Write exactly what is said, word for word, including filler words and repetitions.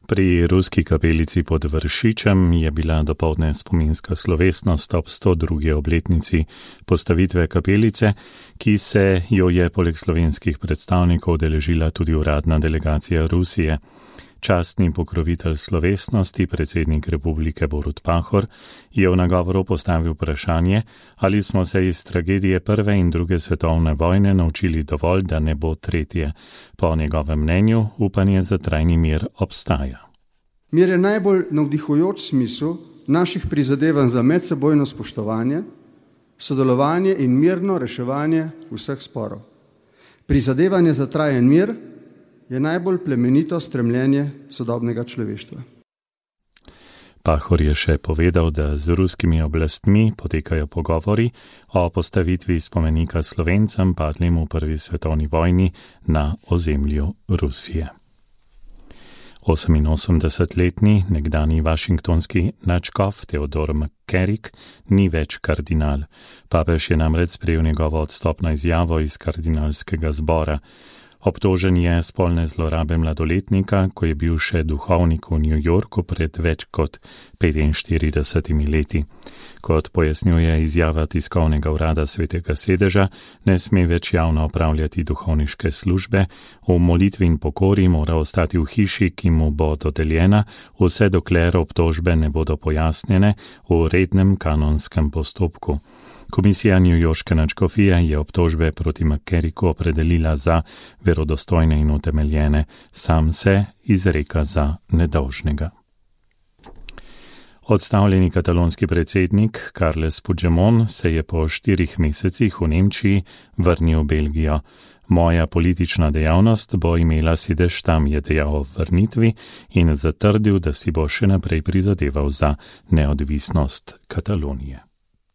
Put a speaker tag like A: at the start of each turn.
A: Pri ruski kapelici pod Vršičem je bila dopoldne spominska slovesnost ob sto drugi obletnici postavitve kapelice, ki se jo je poleg slovenskih predstavnikov udeležila tudi uradna delegacija Rusije. Častni pokrovitelj slovesnosti, predsednik republike Borut Pahor, je v nagovoru postavil vprašanje, ali smo se iz tragedije prve in druge svetovne vojne naučili dovolj, da ne bo tretje. Po njegovem mnenju upanje za trajni mir obstaja.
B: Mir je najbolj navdihujoč smisel naših prizadevanj za medsebojno spoštovanje, sodelovanje in mirno reševanje vseh sporov. Prizadevanje za trajen mir je najbolj plemenito stremljenje sodobnega človeštva.
A: Pahor je še povedal, da z ruskimi oblastmi potekajo pogovori o postavitvi spomenika Slovencem padlim v prvi svetovni vojni na ozemlju Rusije. oseminosemdesetletni nekdani vašingtonski nadškof Theodore McCarrick ni več kardinal. Papež je namreč sprejel njegovo odstopno izjavo iz kardinalskega zbora. Obtožen je spolne zlorabe mladoletnika, ko je bil še duhovnik v New Yorku pred več kot petinštiridesetimi leti. Kot pojasnjuje izjava tiskovnega urada Svetega sedeža, ne sme več javno opravljati duhovniške službe, v molitvi in pokori mora ostati v hiši, ki mu bo dodeljena, vse dokler obtožbe ne bodo pojasnjene v rednem kanonskem postopku. Komisija newyorške nadškofije je obtožbe proti McCarricku opredelila za verodostojne in utemeljene, sam se izreka za nedolžnega. Odstavljeni katalonski predsednik Carles Puigdemont se je po štirih mesecih v Nemčiji vrnil v Belgijo. Moja politična dejavnost bo imela sedež tam, je dejal o vrnitvi in zatrdil, da si bo še naprej prizadeval za neodvisnost Katalonije.